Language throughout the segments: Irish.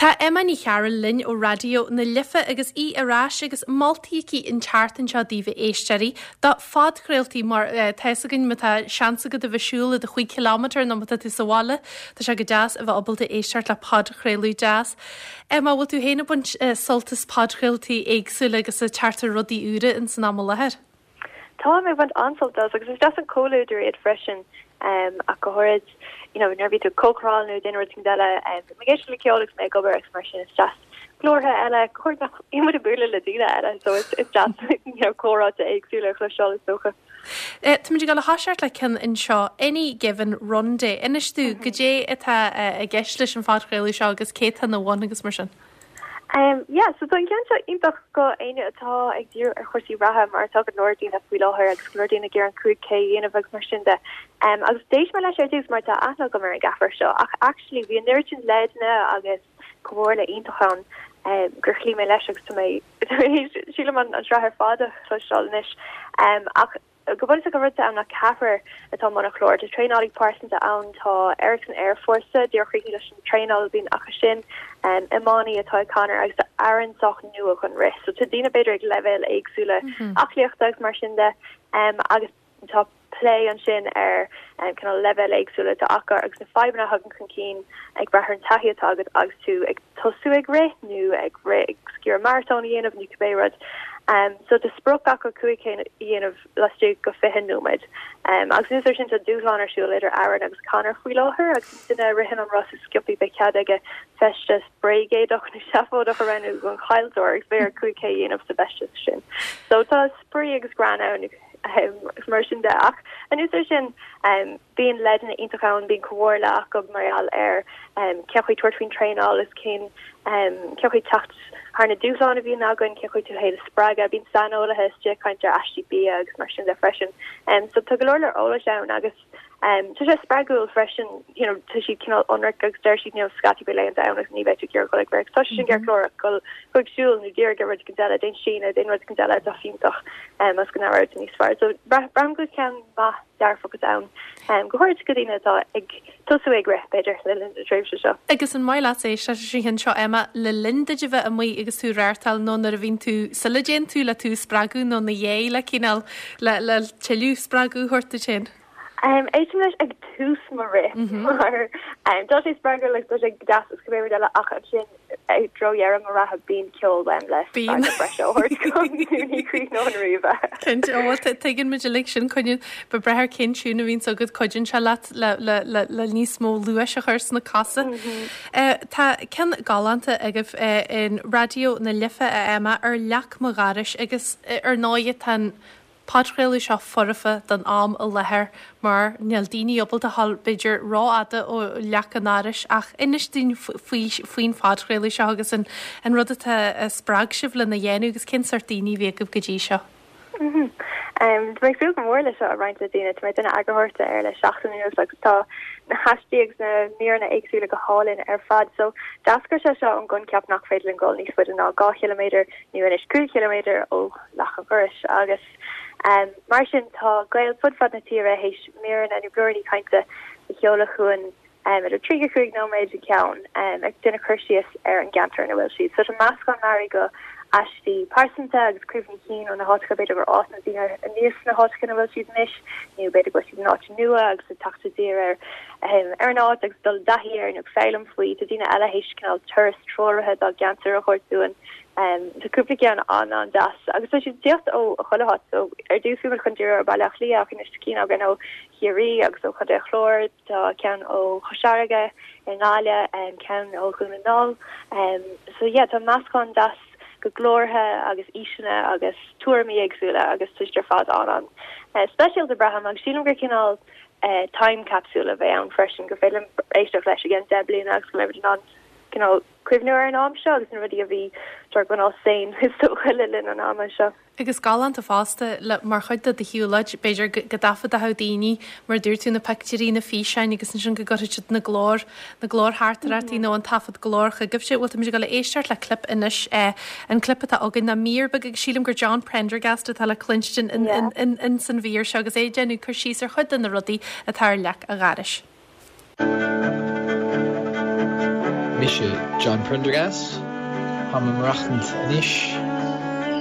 Tá Emma Ní Chearúil linn ó Raidió na Life agus í ar ais agus moltaí aici an tseachtain seo daoibh a éisteoirí do phodchraoltaí mar tá fhios againn má tá seans agat a bheith ag siúl i do chúig chileámeter nó má tá tú sa bhaile tá sé go deas a bheith ábalta éisteacht le podchraoladh deas. Emma, bhfuil tú féin ag baint sult as podchraoltaí éagsúla agus ag teacht ar rudaí úra ins an am i láthair? Táim ag baint an-sult as agus is deas an comhluadar iad freisin ach go háirid you know nuair a bhí tú ag cócaráil nó ag déanamh rud éicint eile bím ag éisteacht le ceol agus mé ag obair agus mar sin is deas glórtha eile go háirid nach mbíonn muid ag bualadh le daoine eile so is is deas you know comhráite éagsúla a chloisteáil is dócha. Táimid ag dul a thoiseacht le ceann anseo, Any Given Run Day. Inis domh goidé atá i gceist leis an phodchraoladh seo agus cé atá ina bhun agus mar sin. Um yeah so tá an ceann seo iontach go éinne atá ag díriú ar chúrsaí reatha mar atá go leor daoine faoi láthair agus go leor daoine ag iarraidh an 5K a dhéanamh agus mar sin de. Um agus d'éist mé leis ar dtús mar tá aithne agam ar an gceathrar seo ach actually bhí an oiread sin leideanna agus comhairle iontach ann um gur chloígh mé leis agus tá mé sílim an an sraith ar fad a chloisteáil anois. Um ach Go bunúsach an rud atá ann ná ceathrar atá i mbun an chláir. Tá traenálaí pearsanta ann, tá Eric san Aerfhórsa, díreach críochnaithe leis an traenáil a bhíonn acu sin, iománaí atá ag Conor agus tá Aaron sách nua chun rith. So tá daoine b'fhéidir ag leibhéal éagsúla aclaíochta agus mar sin de agus tá plé ansin ar cineál leibhéal éagsúla atá acu agus na fadhbanna a thagann chun cinn ag brath ar an taithí atá agat agus tú ag tosú ag rith nó ag rith ag iarraidh maratón a dhéanamh nó cibé rud. So tá sprioc acu 5K a dhéanamh laistigh de 20 nóiméad. Agus anuas air sin tá dúshlán ar siúl idir Aaron agus Conor faoi láthair agus an duine a ritheann an rás is sciobtha beidh cead aige feisteas bréagéadach nó seafóideach a roghnú don chaillteoir agus beidh air 5K a dhéanamh sa bhfeisteas sin. So tá spraoi agus greann ann agus mar sin de. Ach anuas air sin Bíonn leideanna iontacha ann, bíonn comhairle acu mar gheall ar cén chaoi tabhairt faoin traenáil is cén cén chaoi teacht thar na dúshláin a bhíonn againn, cén chaoi tú féin a spreagadh. Bíonn saineolaithe istigh ag caint ar aistí bia agus mar sin de freisin. So tá go leor leor eolais ann agus tá sé spreagúil freisin, you know, tá siad cineál ionraic agus deir siad, you know, scaití beidh laethanta ann agus ní bheidh tú ag iarraidh dul ag rith. Tá sé sin ceart go leor ach gabh ag siúl nó dírigh ar rud éicint eile, déan síneadh, déan rud éicint eile atá fiúntach agus go n-aireoidh tú níos fearr. So braithim go ceann maith dearfach atá ann, go háirid do dhaoine atá ag tosú ag rith, b'fhéidir, le linn na tréimhse seo. Agus an maith leat éisteacht leis an cheann seo, Emma, le linn duit a bheith amuigh agus tú ag reáchtáil nó nuair a bhíonn tú, sula dtéann tú le tú a spreagadh nó ina dhiaidh le cineál, le, le tuilleadh spreagadh a thabhairt duit féin? Éistim leis ag tús mo rith mar tá sé spreagúil agus tá sé deas agus cibé rud eile ach ansin i dtreo dheireadh mo reatha bíonn ceol uaim le spreagadh breise a thabhairt dom nó ní chríochnóinn riamh é. Cinnte, ó bhuel tuigeann muid uilig sin, coinníonn, ba breá ar cén tiún a bhíonns agat, cuidíonn sé leat le, le, le, le níos mó luais a chur sna cosa. Tá ceann galánta agaibh in Raidió na Life, a Emma, ar leac mo dhorais agus ar ndóigh tá an podchraoladh seo foirfe don am i láthair mar níl daoine ábalta a ghabháil b'fhéidir rófhada ó leac a ndorais ach inis dúinn faoi faoin phodchraoladh seo agus an an rud atá a spreag sibh lena dhéanamh agus cén sórt daoine a bhí agaibh go dtí seo. Tá mé ag súil go mór le seo a roinnt le daoine. Tá mé ag déanamh eagarthóireachta air le seachtain anuas agus tá na haistí agus na míreanna éagsúla go hálainn ar fad. So d'eascair sé seo ón gcoincheap nach féidir linn dul níos faide ná 2 chiliméadar nó anois 5 chiliméadar ó leac an dhorais agus mar sin tá Gaeil fud fad na tíre théis míreanna nó blúiríní cainte a sheoladh chugainn idir 35 nóiméad an ceann ag déanamh cur síos ar an gceantar ina bhfuil siad. So tá meascán mearaí go aistí pearsanta agus cuimhní cinn ó na háiteacha b'fhéidir gur fhás na daoine aníos sna háiteacha ina bhfuil siad anois nó b'fhéidir go bhfuil siad in áit nua agus ag teacht i dtír ar ar an áit agus dul i dtaithí air nó ag foghlaim faoi. Tá daoine eile théis cineál turas treoraithe dá gceantar a thabhairt dúinn. Tá cúpla ceann an-an-deas agus tá siad ag tíocht ó chuile háit. So ar dtús bhí muid chun díriú ar Bhaile Átha Cliath ach anois tá cinn againn ó Chiarraí agus ó Chontae an Chláir, tá ceann ó Chois Fharraige i nGaillimh, ceann ó Dhún na nGall. So yeah, tá meascán deas go glórtha agus aoiseanna agus tuairimí éagsúla agus tá siad ar fad an-an speisialta braithim agus sílim gur cineál time capsule a bheidh ann freisin gur féidir liom éisteacht leis i gceann 10 bliana agus go mbeidh muid in ann cineál cuimhniú ar an am seo agus na rudaí a bhí sort cineál sane is dócha le linn an ama seo. Agus galánta fosta, le, mar chuid de do shiúlóid, b'fhéidir go, go dtaifeadfadh daoine, mar a dúirt tú, na pictiúirí, na físeáin agus ansin go gcuirfidh siad na glór, na glórtheachtaireachtaí nó an taifead glóir chugaibhse. Bhuel, táimid ag dul a éisteacht le clip anois, eh, an clip atá againn ná mír beag agus sílim gur John Prendergast atá le cluinstin in, in, in, in san mhír seo agus é ag déanamh cur síos ar chuid de na rudaí atá ar leac a dhorais. Mise John Prendergast. Táim ag maireachtaint anois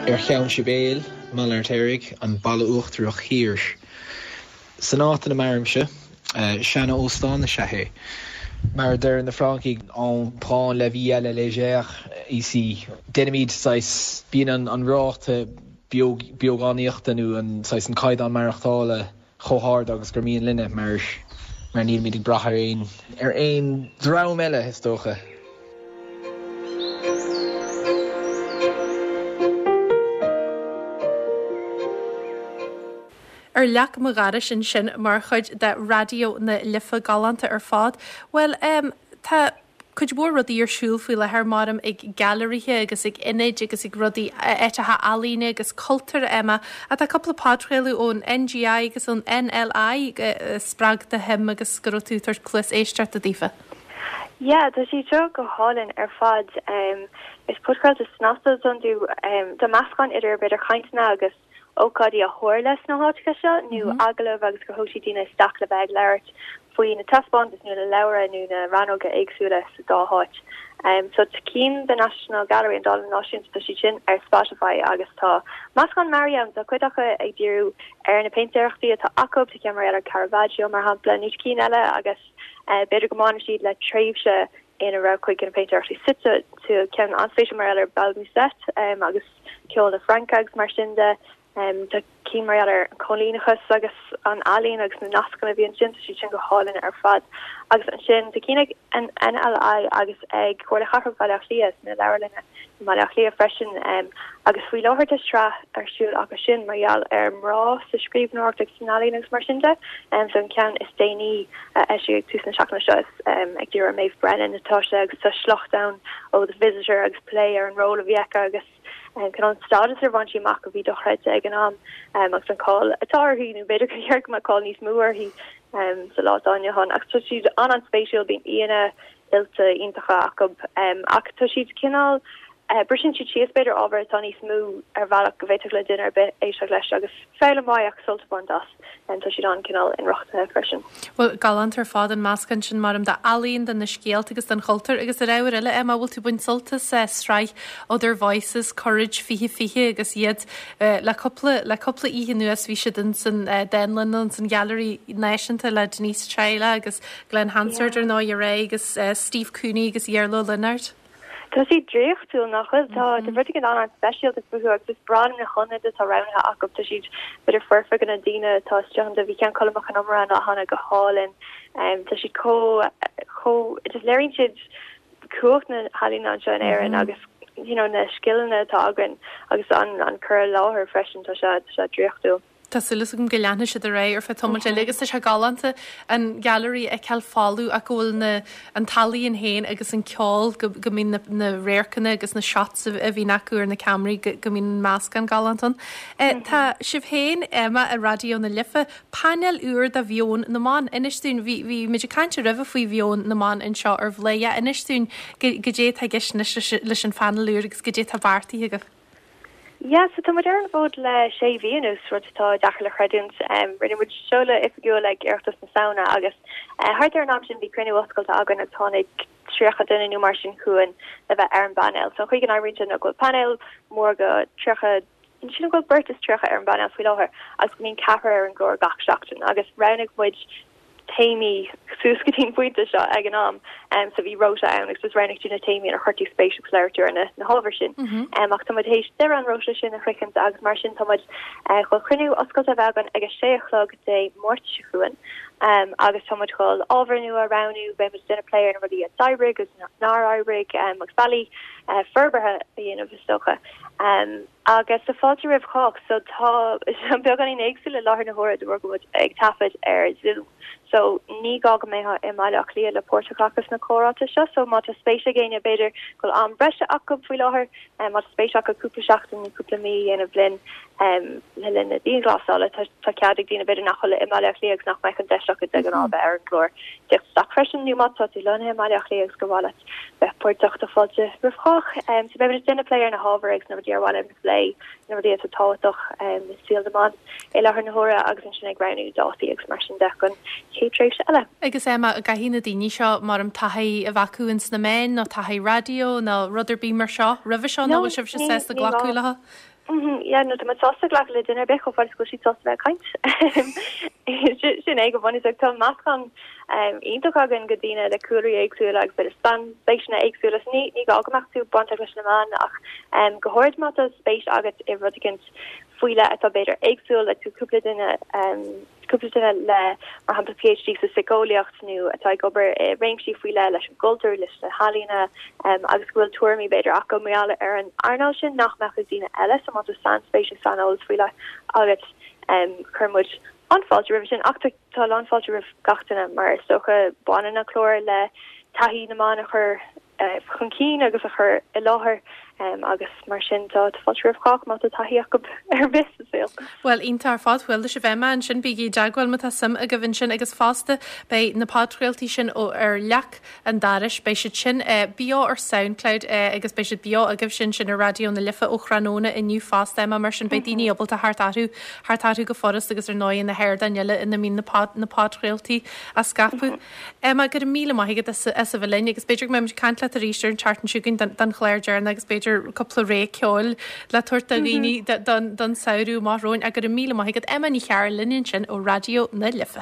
ar Cheann Sibéal i mBaile an Fheirtéaraigh, an Baile Uachtarach Thiar. San áit ina mairimse, seana-óstán is ea é. Mar a deir na Francaigh, on prend la vie à la légère ici. Déanaimid saghas, bíonn an ráta beogánaíochta nó an saghas an caighdeán maireachtála chomh hard agus gur mian linne mar mar nílimid ag brath ar aon ar aon dream eile, is dócha. Ar leac mo dhorais ansin mar chuid de Raidió na Life galánta ar fad. Bhuel, em, tá cuid mhór rudaí ar siúl faoi láthair, maram, ag gailearaithe agus ag ionaid agus ag rudaí, áiteacha ealaíne agus cultúir, Emma. Ach tá cúpla podchraoladh ón NGI agus ón NLI a spreag do shuim agus go raibh tú ag tabhairt cluas éisteachta daofa. Yeah, tá siad seo go hálainn ar fad. Is podchraolta snasta atá iontu. Tá meascán idir b'fhéidir cainteanna agus ócáidí a tharla sna háiteacha seo nó agallaimh agus gur thóg siad daoine isteach le bheith ag labhairt faoi na taispeántais nó na leabhra nó na rannóga éagsúla sa dá háit. So tá cinn The National Gallery, an Dánlann Náisiúnta, tá siad sin ar Spotify agus tá meascán mearaí ann, tá cuid acu ag díriú ar na péintéireachtaí atá acu, tá ceann mar gheall ar Caravaggio mar shampla, nó tá cinn eile agus b'fhéidir go mbaineann siad le tréimhse ina raibh cuid de na péintéireachtaí suite. Tá ceann an-spéisiúil mar gheall ar Bal Musette agus ceol na Fraince agus mar sin de. Tá cinn mar gheall ar an choilíneachas agus an ealaín agus na nascanna a bhí ansin, tá siad sin go hálainn ar fad. Agus ansin tá cinn ag an NLI agus ag Comhairle Chathrach Bhaile Átha Cliath sna leabharlanna i mBaile Átha Cliath freisin. Agus faoi láthair tá sraith ar siúl acu sin mar gheall ar mná sa scríbhneoireacht agus san ealaín agus mar sin de. So an ceann is déanaí a eisíodh ag tús na seachtaine seo is ag díriú ar Maeve Brennan atá sé agus tá sliocht ann ó The Visitor agus plé ar an ról a bhí aici agus cineál an stádas ar bhain sí amach a bhí dochreidte ag an am agus an cáil atá uirthi, nó b'fhéidir gur cheart go mbeadh cáil níos mó uirthi sa lá atá inniu ann. Ach tá siad an-an-spéisiúil, bíonn aíonna oilte iontacha acu ach tá siad cineál, briseann siad síos b'fhéidir ábhar atá níos mó ar bhealach go bhféadfadh le duine ar bith éisteacht leis agus foghlaim mhaith ach sult a bhaint as. Tá siad an-cineál inrochtana freisin. Bhuel, galánta ar fad an meascán sin, maram, d'ealaíon, de na scéalta agus den chultúr. Agus ar ábhar eile, Emma, bhfuil tú ag baint sult as sraith Other Voices, Courage 2020 agus iad le cúpla, le cúpla oíche anuas bhí siad ins an dánlann, ins an Ghailearaí Náisiúnta le Denise Chaila agus Glen Hansard ar ndóigh aréir agus Steve Cooney agus Iarla Ó Lionáird. Tá siad draíochtúil, nach bhfuil? Tá rud éigin an-an-speisialta fúthu agus is breá liom na hionaid atá roghnaithe acu. Tá siad b'fhéidir foirfe do na daoine atá istigh iontu. Bhí ceann Colm Mac Con Iomaire ann cheana go hálainn. Tá siad chomh, chomh, just léiríonn siad cumhacht na healaíne anseo in Éirinn agus you know na scileanna atá againn agus an an cur i láthair freisin, tá sé, tá sé draíochtúil. Tá súil agam go leanfaidh siad ar aghaidh ar feadh tamaill eile agus tá sé galánta an Ghailearaí a fheiceáil folamh ach go bhfuil na, an t-ealaíon féin agus an ceol, go, go mbíonn na, na radharcanna agus na shots a, a bhíonn acu ar na ceamaraí, go, go mbíonn an meascán galánta ann. Eh, tá sibh féin, Emma, i Raidió na Life, painéal úr do Mheon na mBan. Inis dúinn, bhí, bhí muid ag caint roimhe faoi Mheon na mBan anseo ar Bhladhaire. Inis dúinn go, goidé atá i gceist anois leis, leis an phainéal úr agus goidé atá beartaithe agaibh. Yeah, so tá muid ar an bhfód le sé mhí anuas, rud atá deacair le chreidiúint. Rinne muid seoladh oifigiúil ag Oireachtas na Samhna agus thart ar an am sin bhí cruinniú oscailte againn agus tháinig 30 duine nó mar sin chugainn le bheith ar an bpainéal. So an chaoi go n-oibríonn sé ná go bhfuil painéal mór de 30, sílim go bhfuil beirt is 30 ar an bpainéal faoi láthair agus go mbíonn ceathrar ar an gclár gach seachtain agus roghnaigh muid téamaí suas go dtí an pointe seo ag an am. So bhí rota ann agus just roghnaigh tú na téamaí inar chuir tú spéis agus labhair tú ar na na hábhair sin. Ach tá muid théis deireadh an rota sin a shroichint agus mar sin tá muid chun cruinniú oscailte a bheith againn ag a sé a chlog Dé Máirt seo chugainn agus tá muid chun ábhair nua a roghnú, beidh muid ag déanamh plé ar na rudaí a d'oibrigh agus nár oibrigh agus bealaí forbartha a dhéanamh is dócha. Agus tá fáilte roimh chách. So tá sé beagáinín éagsúil i láthair na huaire de bharr go bhfuil muid ag taifead ar Zoom. So ní gá go mbeifeá i mBaile Átha Cliath le páirt a ghlacadh sna comhráite seo. So má tá spéis ag éinne, b'fhéidir go bhfuil am breise acu faoi láthair, má tá spéis acu cúpla seachtain nó cúpla mí a dhéanamh linn le linn na dianghlasála, tá cead ag daoine b'fhéidir nach bhfuil i mBaile Átha Cliath agus nach mbeadh an deis acu de ghnáth bheith ar an gclár teacht isteach freisin. Nó má tá tú lonnaithe i mBaile Átha Cliath agus gur mhaith leat bheith páirteach tá fáilte roimh chách. So beidh muid ag déanamh plé ar na hábhair agus na rudaí ar mhaith linn a phlé, na rudaí atá tábhachtach i saol na mban i láthair na huaire agus ansin ag roghnú dátaí agus mar sin de don chéad tréimhse eile. Agus Emma, an gcaithfidh na daoine seo, maram, taifead. taithí a bheith acu ins na meáin nó taithí raidió nó rud ar bith mar seo roimhe seo nó No, bhfuil sibhse ní, sásta ní glacadh gá. leo? Mhm, yeah, no, tá muid sásta glacadh le duine ar bith chomh fada is go bhfuil siad sásta bheith ag caint. Sin é go bunúsach. Tá meascán iontach againn de dhaoine le cúlraí éagsúla agus b'fhéidir sainspéiseanna éagsúla. So ní, ní gá go mbeadh tú bainteach leis na meáin ach go háirid má tá spéis agat i rud éicint faoi leith atá b'fhéidir éagsúil le tú cúpla duine cúpla duine le, mar shampla, PhD sa síceolaíocht nó atá ag obair i réimsí faoi leith leis an gcultúr, leis na healaíona agus go bhfuil tuairimí b'fhéidir acu mar gheall ar an earnáil sin nach mbeadh ag daoine eile. So má tá sainspéis nó saineolas faoi leith agat, cuireann muid an-fháilte roimhe sin. Ach tá a lán fáilte roimh gach duine mar is dócha baineann an clár le taithí na mban a chur chun cinn agus a chur i láthair agus mar sin tá fáilte roimh chách má tá taithí acu ar bith sa saol. Bhuel, iontach ar fad. Chuala sibh Emma ansin, bígí i dteagmháil má tá suim agaibh ansin agus fosta beidh na podchraoltaí sin ó Ar Leac an Dorais, beidh siad sin beo ar Soundcloud agus beidh siad beo agaibhse ansin ar Raidió na Life ó thráthnóna inniu fosta Emma, mar sin beidh daoine ábalta theacht orthu, theacht orthu go furast agus ar ndóigh na hardáin eile ina mbíonn na podchraoltaí á scaipeadh. Emma, go raibh míle maith agat as a bheith linn agus b'fhéidir go mbeidh muid ag caint leat arís ar an tseachtain seo chugainn don chlár deireanach agus b'fhéidir cúpla rogha ceoil le tabhairt do dhaoine don samhradh amach romhainn. Ach go raibh míle maith agat. Emma Ní Chearúil linn ansin ó Raidió na Life.